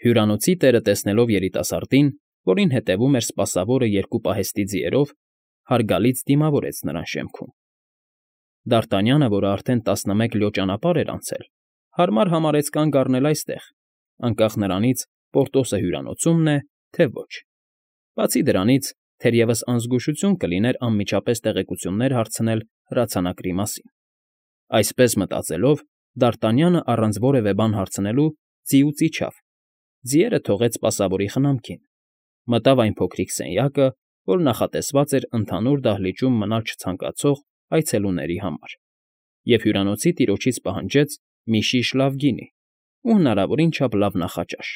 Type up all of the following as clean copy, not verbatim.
Հյուրանոցի տերը տեսնելով երիտասարդին, որին հետևում էր սպասավորը երկու պահեստի ձիերով, հարգալից դիմավորեց նրան շեմքում։ Դարտանյանը, որը արդեն 11 լյո ճանապարհ էր անցել, հարմար համարեց կանգ առնել այստեղ, անկախ նրանից Պորտոսը հյուրանոցումն է, թե ոչ։ Բացի դրանից, թերևս անզգուշություն կլիներ անմիջապես տեղեկություններ հարցնել հրացանակրի մասին։ Այսպես մտածելով, Դարտանյանը առանց որևէ բան հարցնելու ձիուց իջավ, ձիերը թողեց սպասավորի խնամքին, մտավ այն փոքրիկ սենյակը, որ նախատեսված էր ընդհանուր դահլիճում մնալ չցանկացող այցելուների համար, և հյուրանոցի տիրոջից պահանջեց մի շիշ լավ գինի ու հնարավորին չափ լավ նախաճաշ։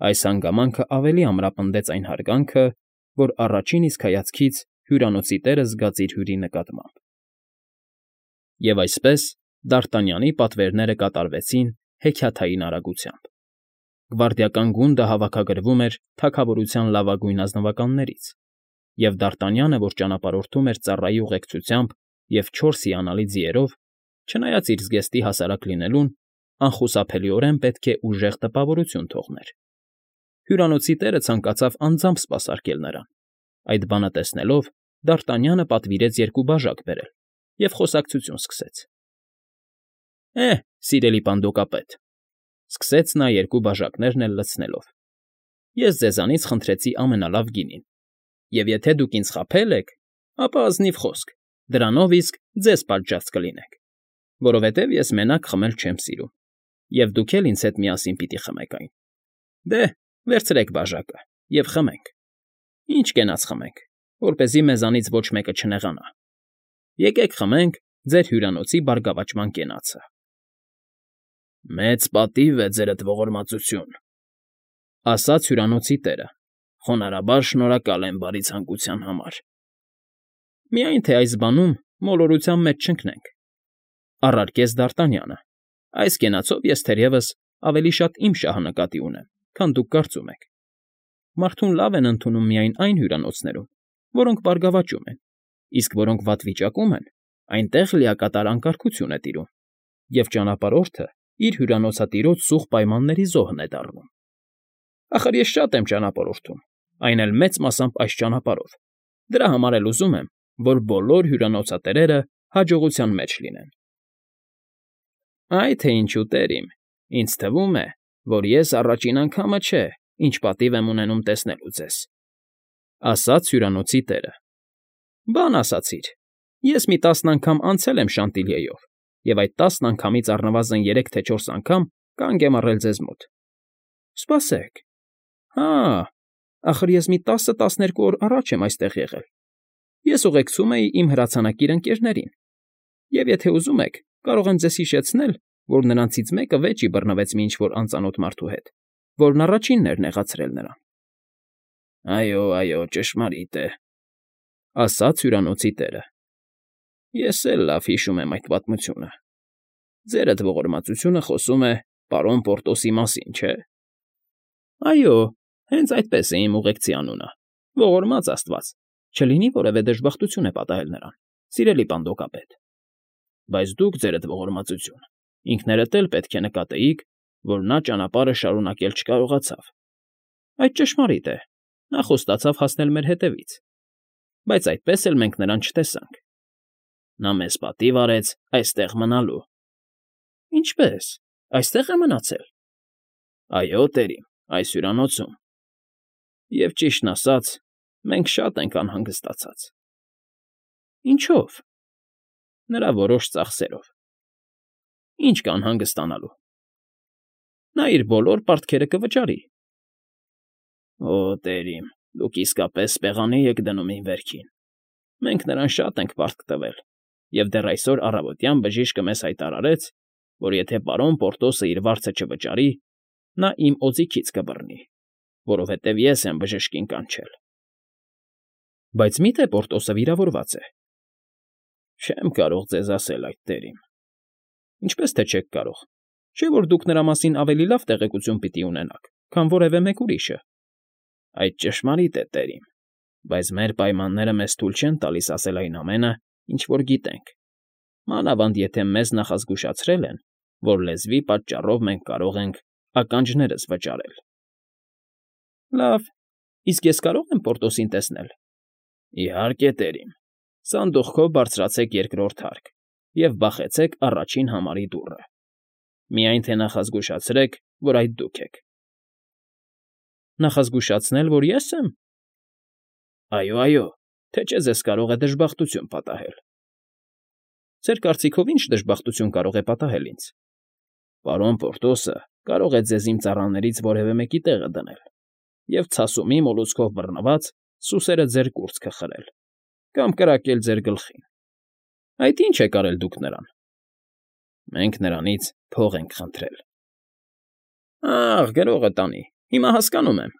Այս հանգամանքը ավելի ամրապնդեց այն հարգանքը, որ առաջին իսկ հայացքից հյուրանոցի տերը զգաց իր հյուրի նկատմամբ։ Եվ այսպես Դարտանյանի պատվերները կատարվեցին հեքիաթային արագությամբ։ Գվարդիական գունդը հավաքագրվում էր թագավորության լավագույն ազնվականներից, և Դարտանյանը, որ ճանապարհորդում էր ծառայի ուղեկցությամբ և 4 հիանալի ձիերով, չնայած իր զգեստի հասարակ լինելուն, անխուսափելիորեն պետք է ուժեղ տպավորություն թողներ։ Հյուրանոցի տերը ցանկացավ անձամբ սպասարկել նրան։ Այդ բանը տեսնելով, Դարտանյանը պատվիրեց 2 բաժակ բերել և խոսակցություն սկսեց։ Սիրելի պանդոկապետ,֊ սկսեց նա 2 բաժակներն էլ լցնելով,֊ ես ձեզանից խնդրեցի ամենալավ գինին, և եթե դուք ինձ խաբել եք, ապա ազնիվ խոսք, դրանով իսկ ձեզ պատժած կլինեք, որովհետև ես մենակ խմել չեմ սիրում, և դուք էլ ինձ հետ միասին պիտի խմեք այն։ Դե, վերցրեք բաժակը և խմենք։ Ինչ կենաց խմենք, որպեսզի մեզանից ոչ մեկը չնեղանա։ Եկեք խմենք ձեր հյուրանոցի բարգավաճման կենացը։ Մեծ պատիվ է, ձերդ ողորմածություն,֊ ասաց հյուրանոցի տերը, խոնարհաբար շնորհակալ եմ բարի ցանկության համար։ Միայն թե այս բանում մոլորության մեջ չընկնենք,֊ առարկեց Դարտանյանը, այս կենացով ես թերևս ավելի շատ իմ շահը նկատի ունեմ, քան դուք կարծում եք։ Մարդուն լավ են ընդունում միայն այն հյուրանոցներում, որոնք բարգավաճում են, իսկ որոնք վատ վիճակում են, այնտեղ լիակատար անկարգություն է տիրում, և ճանապարհորդը իր հյուրանոցատիրոջ սուղ պայմանների զոհն է դառնում։ Ախր ես շատ եմ ճանապարհորդում, այն էլ մեծ մասամբ այս ճանապարհով, դրա համար էլ ուզում եմ, որ բոլոր հյուրանոցատերերը հաջողության մեջ լինեն։ Այ թե ինչու, տերիմ, ինձ թվում է, որ ես առաջին անգամը չէ, ինչ պատիվ եմ ունենում տեսնելու ձեզ,֊ ասաց հյուրանոցի տերը։ Բան ասացիր, ես մի 10 անգամ անցել եմ Շանտիլիեով, և այդ 10 անգամից առնվազն 3 թե 4 անգամ կանգ եմ առել ձեզ մոտ։ Սպասեք, հա, ախր ես մի 10-12 օր առաջ եմ այստեղ եղել։ Ես ուղեկցում էի իմ հրացանակիր ընկերներին, և եթե ուզում եք, կարող եմ ձեզ հիշեցնել, որ նրանցից մեկը վեճի բռնվեց մի ինչ֊որ անծանոթ մարդու հետ, որն առաջինն էր նեղացրել նրան։ Այո, ճշմարիտ է,֊ ասաց հյուրանոցի տերը։ Ես էլ լավ հիշում եմ այդ պատմությունը։ Ձերդ ողորմածությունը խոսում է պարոն Պորտոսի մասին, չէ՞։ Այո, հենց այդպես է իմ ուղեկցի անունը, ողորմած աստված, չլինի որևէ դժբախտություն է պատահել նրան, սիրելի պանդոկապետ։ Բայց դուք, ձերդ ողորմածություն, ինքներդ էլ պետք է նկատեիք, որ նա ճանապարհը շարունակել չկարողացավ։ Այդ ճշմարիտ է, նա խոստացավ հասնել մեր հետևից, բայց այդպես էլ մենք նրան չտեսանք։ Նա մեզ պատիվ արեց այստեղ մնալու։ Ինչպե՞ս, այստեղ է մնացել։ Այո, տերիմ, այս հյուրանոցում։ Եվ ճիշտն ասած, մենք շատ ենք անհանգստացած։ Ինչո՞վ։ Նրա որոշ ծախսերով։ Ինչ կա անհանգստանալու։ Նա իր բոլոր պարտքերը կվճարի։ Օ, տերիմ, դուք իսկապես պեղանի եք դնում իմ վերքին։ Մենք նրան շատ ենք պարտք տվել, և դեռ այսօր առավոտյան բժիշկը մեզ հայտարարեց, որ եթե պարոն Պորտոսը իր վարձը չվճարի, նա իմ օձիքից կբռնի, որովհետև ես եմ բժշկին կանչել։ Բայց մի՞թե Պորտոսը վիրավորված է։ Չեմ կարող ձեզ ասել այդ, տերիմ։ Ինչպես թե չեք կարող, չէ՞ որ դուք նրա մասին ավելի լավ տեղեկություն պիտի ունենաք, քան որևէ մեկ ուրիշը։ Այդ ճշմարիտ է, տերիմ, բայց մեր պայմանները մեզ թույլ չեն տալիս ասել այն ամենը, ինչ որ գիտենք, մանավանդ եթե մեզ նախազգուշացրել են, որ լեզվի պատճառով մենք կարող ենք ականջներս վճարել։ Լավ, իսկ ես կարո՞ղ եմ Պորտոսին տեսնել։ Իհարկե, տերիմ։ Սանդուղքով բարձրացեք երկրորդ հարկ և բախեցեք առաջին համարի դուռը։ Միայն թե նախազգուշացրեք, որ այդ դուք եք։ Նախազգուշացնել, որ ես եմ։ Այո, թե չէ ձեզ կարող է դժբախտություն պատահել։ Ձեր կարծիքով ինչ դժբախտություն կարող է պատահել ինձ։ Պարոն Պորտոսը կարող է ձեզ իմ ծառաներից որևէ մեկի տեղը դնել և ցասումի մոլուցքով բռնված սուսերը ձեր կուրծքը խրել կամ կրակել ձեր գլխին։ Այդ ի՞նչ եք արել դուք նրան։ Մենք նրանից փող ենք խնդրել։ Ախ, գրողը տանի, հիմա հասկանում եմ։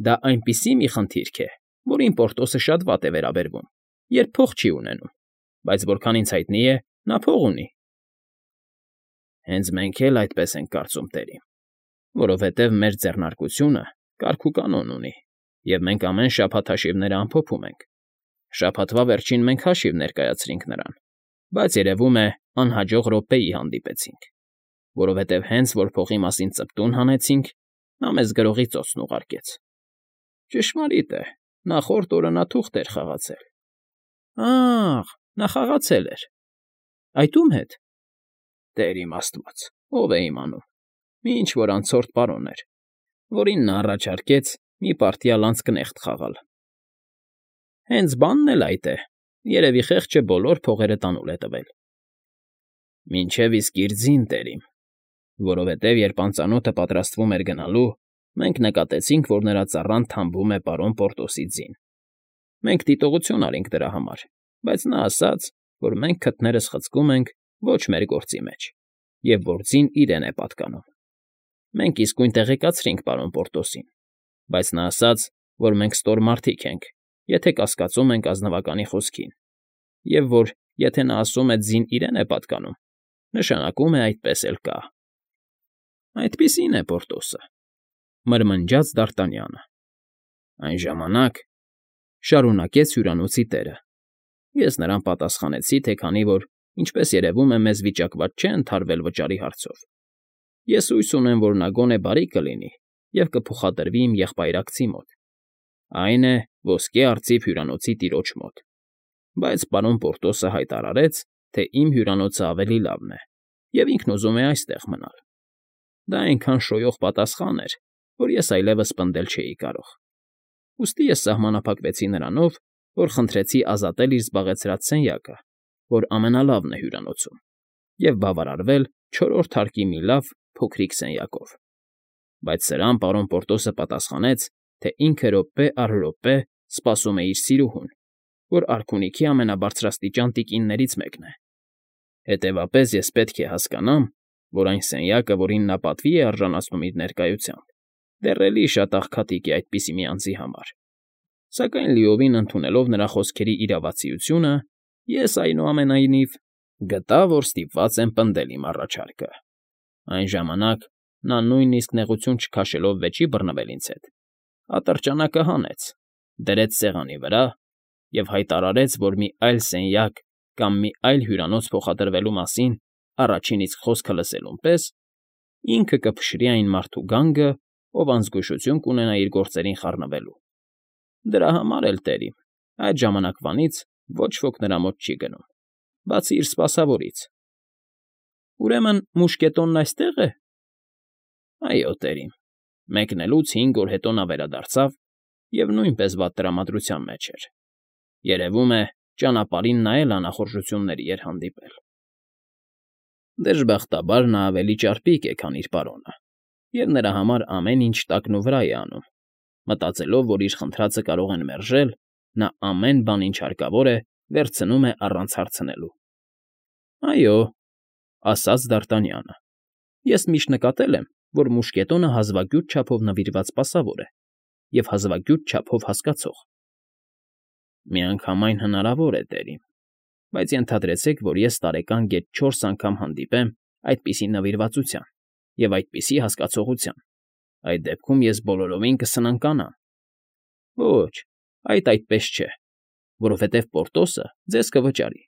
Դա այնպիսի մի խնդիրք է, որին Պորտոսը շատ վատ է վերաբերվում, երբ փող չի ունենում, բայց որքան ինձ հայտնի է, նա փող ունի։ Հենց մենք էլ այդպես ենք կարծում, տերիմ, որովհետև մեր ձեռնարկությունը կարգ ու կանոն ունի, և մենք ամեն շաբաթ հաշիվները ամփոփում ենք։ Շաբաթվա վերջին մենք հաշիվ ներկայացրինք նրան, բայց երևում է անհաջող րոպեի հանդիպեցինք, որովհետև հենց որ փողի մասին ծպտուն հանեցինք, նա մեզ գրողի ծոցն ուղարկեց։ Ճշմարիտ է, նախորդ օրը նա թուղթ էր խաղացել։ Ախ, նա խաղացել էր։ Այդ ո՞ւմ հետ։ Տեր իմ Աստված, ով է իմանում։ Մի ինչ֊որ անցորդ պարոն էր, որին նա առաջարկեց մի պարտիալ անցքնեղտ խաղալ։ Հենց բանն էլ այդ է, երևի խեղճը բոլոր փողերը տանուլ է տվել։ Մինչև իսկ իր ձին, տերիմ, որովհետև երբ անծանոթը պատրաստվում էր գնալու, մենք նկատեցինք, որ նրա ծառան թամբում է պարոն Պորտոսի ձին։ Մենք դիտողություն արինք դրա համար, բայց նա ասաց, որ մենք քթներս խցկում ենք ոչ մեր գործի մեջ, և որ ձին իրեն է պատկանում։ Մենք իսկույն տեղեկացրինք պարոն Պորտոսին, բայց նա ասաց, որ մենք ստոր մարդիկ ենք, եթե կասկածում ենք ազնվականի խոսքին, և որ եթե նա ասում է ձին իրեն է պատկանում, նշանակում է այդպես էլ կա։ Այդպիսին է Պորտոսը, մրմնջաց Դ'Արտանյանը։ Այն ժամանակ, շարունակեց հյուրանոցի տերը, ես նրան պատասխանեցի, թե քանի որ, ինչպես երևում է, մեզ վիճակված չէ ընդհարվել վճարի հարցով, ես հույս ունեմ, որ նա գոնե բարի կլինի և կփոխադրվի իմ եղբայրակցի մոտ, այն է ոսկե արծիվ հյուրանոցի տիրոջ մոտ, բայց պարոն Պորտոսը հայտարարեց, թե իմ հյուրանոցը ավելի լավն է, և ինքն ուզում է այստեղ մնալ։ Դա այնքան շոյող պատասխան էր, որ ես այլևս պնդել չէի կարող։ Ուստի ես սահմանափակվեցի նրանով, որ խնդրեցի ազատել իր զբաղեցրած սենյակը, որ ամենալավն է հյուրանոցում, և բավարարվել չորրորդ հարկի մի լավ, փոքրիկ սենյակով։ Բայց սրան պարոն Պորտոսը պատասխանեց, թե ինքը րոպե առ րոպե սպասում է իր սիրուհուն, որ արքունիքի ամենաբարձրաստիճան տիկիններից մեկն է։ Հետևապես ես պետք է հասկանամ, որ այն սենյակը, որին նա պատվի է արժանացնում իր ներկայությամբ, դեռ էլի շատ աղքատիկ է այդպիսի մի անձի համար։ Սակայն լիովին ընդունելով նրա խոսքերի իրավացիությունը, ես այնուամենայնիվ գտա, որ ստիպված եմ պնդել իմ առաջարկը։ Այն ժամանակ նա նույնիսկ նեղություն չքաշելով վեճի բռնվել ինձ հետ, ատրճանակը հանեց, դրեց սեղանի վրա և հայտարարեց, որ մի այլ սենյակ կամ մի այլ հյուրանոց փոխադրվելու մասին առաջին իսկ խոսքը լսելուն պես ինքը կփշրի այն մարդու գանգը, ով անզգուշություն կունենա իր գործերին խառնվելու։ Դրա համար էլ, տերիմ, այդ ժամանակվանից ոչ ոք նրա մոտ չի գնում, բացի իր սպասավորից։ Ուրեմն մուշկետոնն այստե՞ղ է։ Այո, տերիմ, մեկնելուց 5 օր հետո նա վերադարձավ և նույնպես վատ տրամադրության մեջ էր։ Երևում է, ճանապարհին նա էլ անախորժությունների էր հանդիպել։ Դժբախտաբար նա ավելի ճարպիկ է, քան իր պարոնը, և նրա համար ամեն ինչ տակն ու վրա է անում, մտածելով, որ իր խնդրածը կարող են մերժել, նա ամեն բան, ինչ հարկավոր է, վերցնում է առանց հարցնելու։ Այո, ասաց Դ'Արտանյանը, ես միշտ նկատել եմ, որ մուշկետոնը հազվագյուտ չափով նվիրված սպասավոր է և հազվագյուտ չափով հասկացող։ Միանգամայն հնարավոր է, տերիմ, բայց ենթադրեցեք, որ ես տարեկան գեթ 4 անգամ հանդիպեմ այդպիսի նվիրվածության և այդպիսի հասկացողության, այդ դեպքում ես բոլորովին կսնանկանամ։ Ոչ, այդպես չէ, որովհետև Պորտոսը ձեզ կվճարի։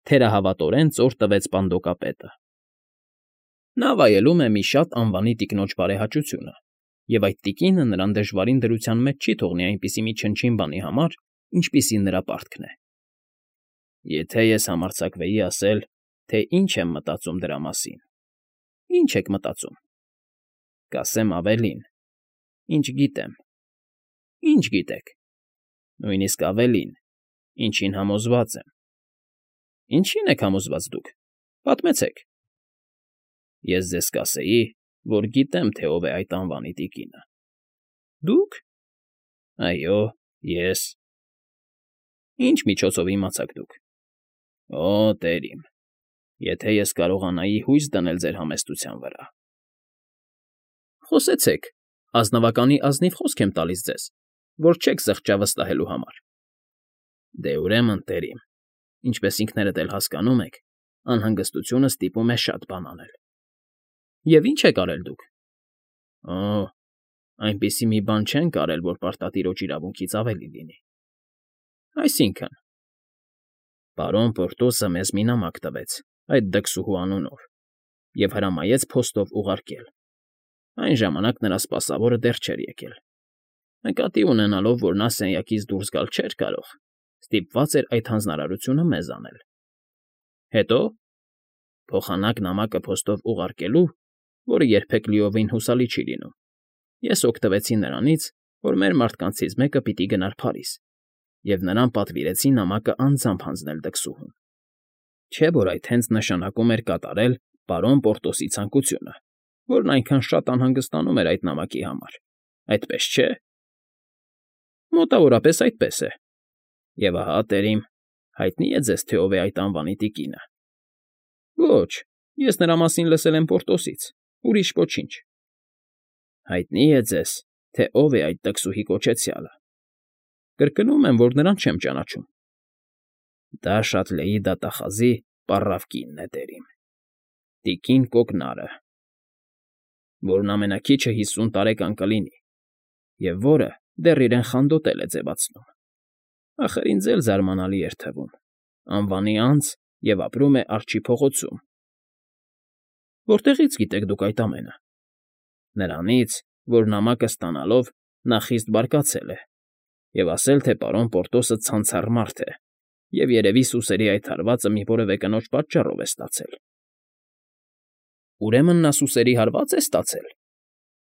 Թերահավատորեն ծոր տվեց պանդոկապետը։ Նա վայելում է մի շատ անվանի տիկնոջ բարեհաճությունը, և այդ տիկինը նրան դժվարին դրության մեջ չի թողնի այնպիսի մի չնչին բանի համար, ինչպիսին նրա պարտքն է։ Եթե ես համարձակվեի ասել, թե ինչ եմ մտածում դրա մասին։ Ինչ եք մտածում։ Կասեմ ավելին, ինչ գիտեմ։ Ինչ գիտեք։ Նույնիսկ ավելին, ինչին համոզված եմ։ Ինչին եք համոզված դուք։ Պատմեցեք։ Ես ձեզ կասեի, որ գիտեմ, թե ով է այդ անվանի տիկինը։ Դուք։ Այո, ես։ Ինչ միջոցով իմացաք դուք։ Օ, տեր իմ, եթե ես կարողանայի հույս դնել ձեր համեստության վրա։ Խոսեցեք, ազնվականի ազնիվ խոսք եմ տալիս ձեզ, որ չեք զղջա վստահելու համար։ Դե ուրեմն, տեր իմ, ինչպես ինքներդ էլ հասկանում եք, անհանգստությունը ստիպում է շատ բան անել։ Եվ ինչ եք արել դուք։ Օ, այնպիսի մի բան չենք արել, որ պարտատիրոջ իրավունքից ավելի լինի։ Այսինքն։ Պարոն Պորտոսը մեզ մի նամակ տվեց այդ դքսուհու անունով և հրամայեց փոստով ուղարկել։ Այն ժամանակ նրա սպասավորը դեռ չէր եկել։ Նկատի ունենալով, որ նա սենյակից դուրս գալ չէր կարող, ստիպված էր այդ հանձնարարությունը մեզ անել։ Հետո փոխանակ նամակը փոստով ուղարկելու, որը երբեք լիովին հուսալի չի լինում, ես օգտվեցի նրանից, որ մեր մարդկանցից մեկը պիտի գնար Փարիզ, և նրան պատվիրեցի նամակը անձամբ հանձնել դքսուհուն։ Չէ՞ որ այդ հենց նշանակում էր կատարել պարոն Պորտոսի ցանկությունը, որն այնքան շատ անհանգստանում էր այդ նամակի համար, այդպես չէ։ Մոտավորապես այդպես է։ Եվ ահա, տերիմ, հայտնի է ձեզ, թե ով է այդ անվանի տիկինը։ Ոչ, ես նրա մասին լսել եմ Պորտոսից, ուրիշ ոչինչ։ Հայտնի է ձեզ, թե ով է այդ տքսուհի կոչեցյալը։ Կրկնում եմ, որ նրան չեմ ճանաչում։ Դա Շատլեի դատախազի պառավ կինն է, տերիմ։ Տիկին Կոկնարը, որն ամենաքիչը 50 տարեկան կլինի, և որը դեռ իրեն խանդոտել է ձևացնում։ Ախր ինձ էլ զարմանալի էր թվում։ Անվանի անձ և ապրում է Արջի փողոցում։ Որտեղի՞ց գիտեք դուք այդ ամենը։ Նրանից, որ նամակը ստանալով նա խիստ բարկացել է և ասել, թե պարոն Պորտոսը ցանցառ մարդ է և երևի սուսերի այդ հարվածը մի որևէ կնոջ պատճառով է ստացել։ Ուրեմն նա սուսերի հարվա՞ծ է ստացել։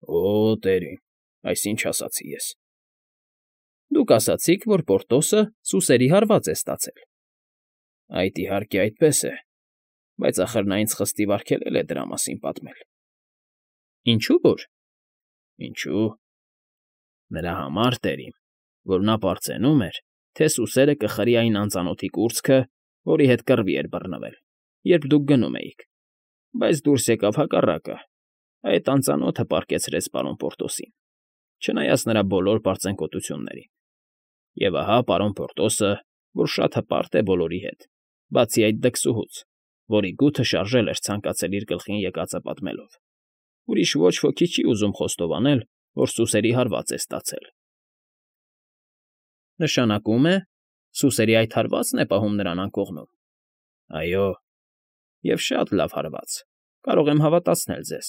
Օ, տերիմ, այս ինչ ասացի ես։ Դուք ասացիք, որ Պորտոսը սուսերի հարված է ստացել։ Այդ իհարկե այդպես է, բայց ախր նա ինձ խստիվ արգելել է դրա մասին պատմել։ Ինչու՞ որ։ Ինչու։ Նրա համար, տերիմ, որ նա պարծենում էր, թե սուսերը կխրի այն անծանոթի կուրծքը, որի հետ կռվի էր բռնվել, երբ դուք գնում էիք, բայց դուրս եկավ հակառակը, այդ անծանոթը պառկեցրեց պարոն Պորտոսին, չնայած նրա բոլոր պարծենկոտություններին։ Եվ ահա պարոն Պորտոսը, որ շատ հպարտ է բոլորի հետ, բացի այդ դքսուհուց, որի գութը շարժել էր ցանկացել իր գլխին եկածը պատմելով, ուրիշ ոչ ոքի չի ուզում խոստովանել, որ սուսերի հարված է ստացել։ Նշանակում է, սուսերի այդ հարվածն է պահում նրան անկողնում։ Այո, և շատ լավ հարված, կարող եմ հավատացնել ձեզ։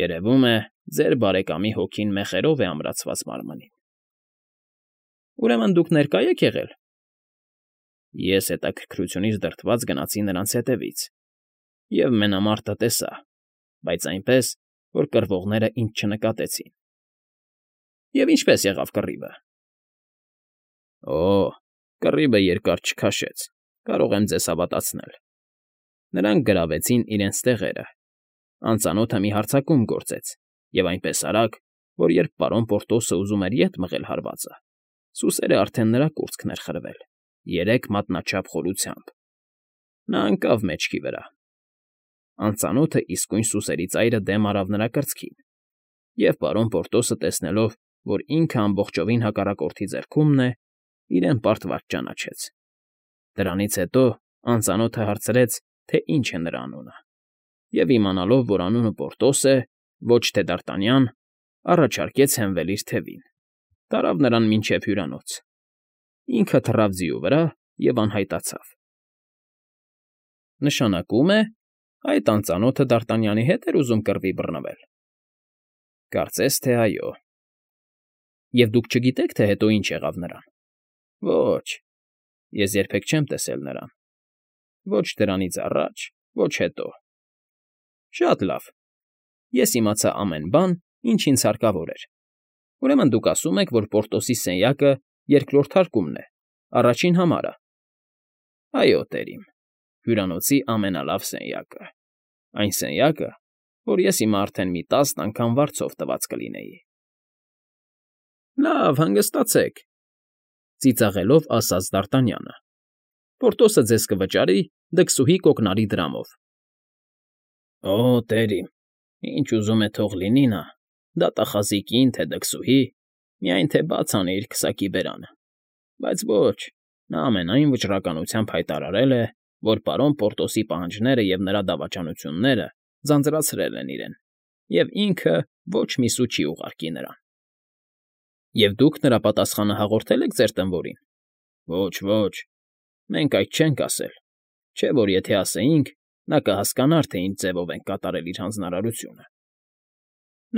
Երևում է, ձեր բարեկամի հոգին մեխերով է ամրացված մարմնին։ Ուրեմն դուք ներկա եք եղել։ Ես հետաքրքրությունից դրդված գնացի նրանց հետևից, և մենամարտը տեսա, բայց այնպես, որ կռվողները ինձ չնկատեցին։ Եվ ինչպե՞ս եղավ կռիվը։ Օ, կռիվը երկար չքաշեց, կարող եմ ձեզ հավատացնել։ Նրանք գրավեցին իրենց տեղերը, անծանոթը մի հարձակում գործեց, և այնպես արագ, որ երբ պարոն Պորտոսը ուզում էր ետ մղել հարվածը, սուսերը արդեն նրա կուրծքն էր խրվել, 3 մատնաչափ խորությամբ։ Նա ընկավ մեջքի վրա։ Անծանոթը իսկույն սուսերի ծայրը դեմ արավ նրա կրծքին, և պարոն Պորտոսը տեսնելով, որ ինքը ամբողջովին հակառակորդի ձեռքումն է, իրեն պարտված ճանաչեց։ Դրանից հետո անծանոթը հարցրեց, թե ինչ է նրա անունը, և իմանալով, որ անունը Պորտոս է, ոչ թե Դարտանյան, առաջարկեց հենվել իր թևին, տարավ նրան մինչև հյուրանոց։ Ինքը թռավ ձիու վրա և անհայտացավ։ Նշանակում է, Այդ անծանոթը Դարտանյանի հետ էր ուզում կռվի բռնվել։ Կարծես թե այո։ Եվ դուք չգիտեք, թե հետո ինչ եղավ նրան։ Ոչ, ես երբեք չեմ տեսել նրան։ Ոչ դրանից առաջ, ոչ հետո։ Շատ լավ։ Ես իմացա ամեն բան, ինչ ինձ հարկավոր էր։ Ուրեմն դուք ասում եք, որ Պորտոսի սենյակը երկրորդ հարկումն է, առաջին համարը։ Այո, տերիմ, հյուրանոցի ամենալավ սենյակը։ Այն սենյակը, որ ես հիմա արդեն մի 10 անգամ վարձով տված կլինեի։ Լավ, հանգստացեք, ծիծաղելով ասաց Դարտանյանը։ Պորտոսը ձեզ կվճարի դքսուհի կոկնարի դրամով։ Օ, տերիմ, ինչ ուզում է թող լինի նա, դատախազիկին, թե դքսուհի, միայն թե բաց անի իր քսակի բերանը։ Բայց ոչ, նա ամենայն վճռականությամբ հայտարարել է, որ պարոն Պորտոսի պահանջները և նրա դավաճանությունները ձանձրացրել են իրեն, և ինքը ոչ մի սու չի ուղարկի նրան։ Եվ դուք նրա պատասխանը հաղորդել եք ձեր տնօրին։ Ոչ, ոչ, մենք այդ չենք ասել, չէ՞ որ եթե ասեինք, նա կհասկանար, թե ինչ ձևով ենք կատարել իր հանձնարարությունը։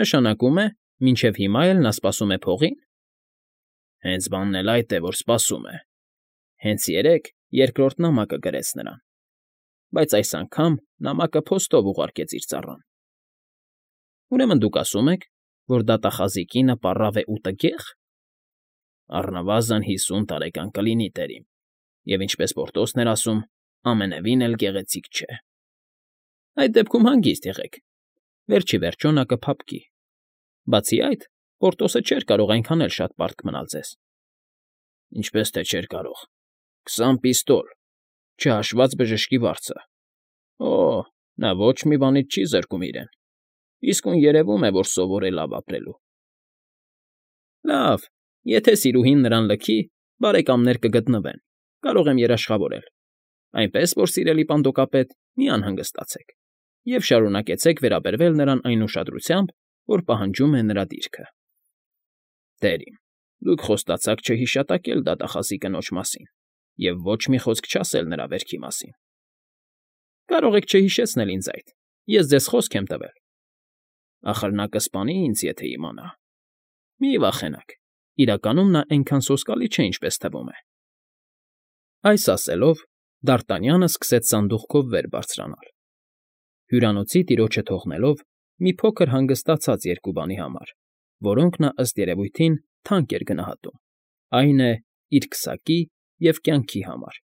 Նշանակում է, մինչև հիմա էլ նա սպասում է փողին։ Հենց բանն էլ այդ է, որ սպասում է։ Հենց երեկ երկրորդ նամակը գրեց նրան, բայց այս անգամ նամակը փոստով ուղարկեց իր ծառան։ Ուրեմն դուք ասում եք, որ դատախազիկինը պառավ է ու տգեղ։ Առնվազն 50 տարեկան կլինի, տերիմ, և ինչպես Պորտոսն էր ասում, ամենևին էլ գեղեցիկ չէ։ Այդ դեպքում հանգիստ եղեք, վերջ ի վերջո նա կփափկի։ Բացի այդ, Պորտոսը չէր կարող այնքան էլ շատ պարտք մնալ ձեզ։ Ինչպես թե չէր կարող։ 20 պիստոլ, չհաշված բժշկի վարձը։ Օ, նա ոչ մի բանից չի զրկում իրեն։ Իսկույն երևում է, որ սովոր է լավ ապրելու։ Լավ, եթե սիրուհին նրան լքի, բարեկամներ կգտնվեն, կարող եմ երաշխավորել։ Այնպես որ, սիրելի պանդոկապետ, մի անհանգստացեք և շարունակեցեք վերաբերվել նրան այն ուշադրությամբ, որ պահանջում է նրա դիրքը։ Տերիմ, դուք խոստացաք չհիշատակել դատախազի կնոջ մասին և ոչ մի խոսք չասել նրա վերքի մասին։ Կարող եք չհիշեցնել ինձ այդ, ես ձեզ խոսք եմ տվել։ Ախր նա կսպանի ինձ, եթե իմանա։ Մի վախենաք, իրականում նա այնքան սոսկալի չէ, ինչպես թվում է։ Այս ասելով, Դարտանյանը սկսեց սանդուղքով վեր բարձրանալ, հյուրանոցի տիրոջը թողնելով մի փոքր հանգստացած երկու բանի համար, որոնք նա ըստ երևույթին թանկ էր գնահատում, այն է, իր քսակի և կյանքի համար։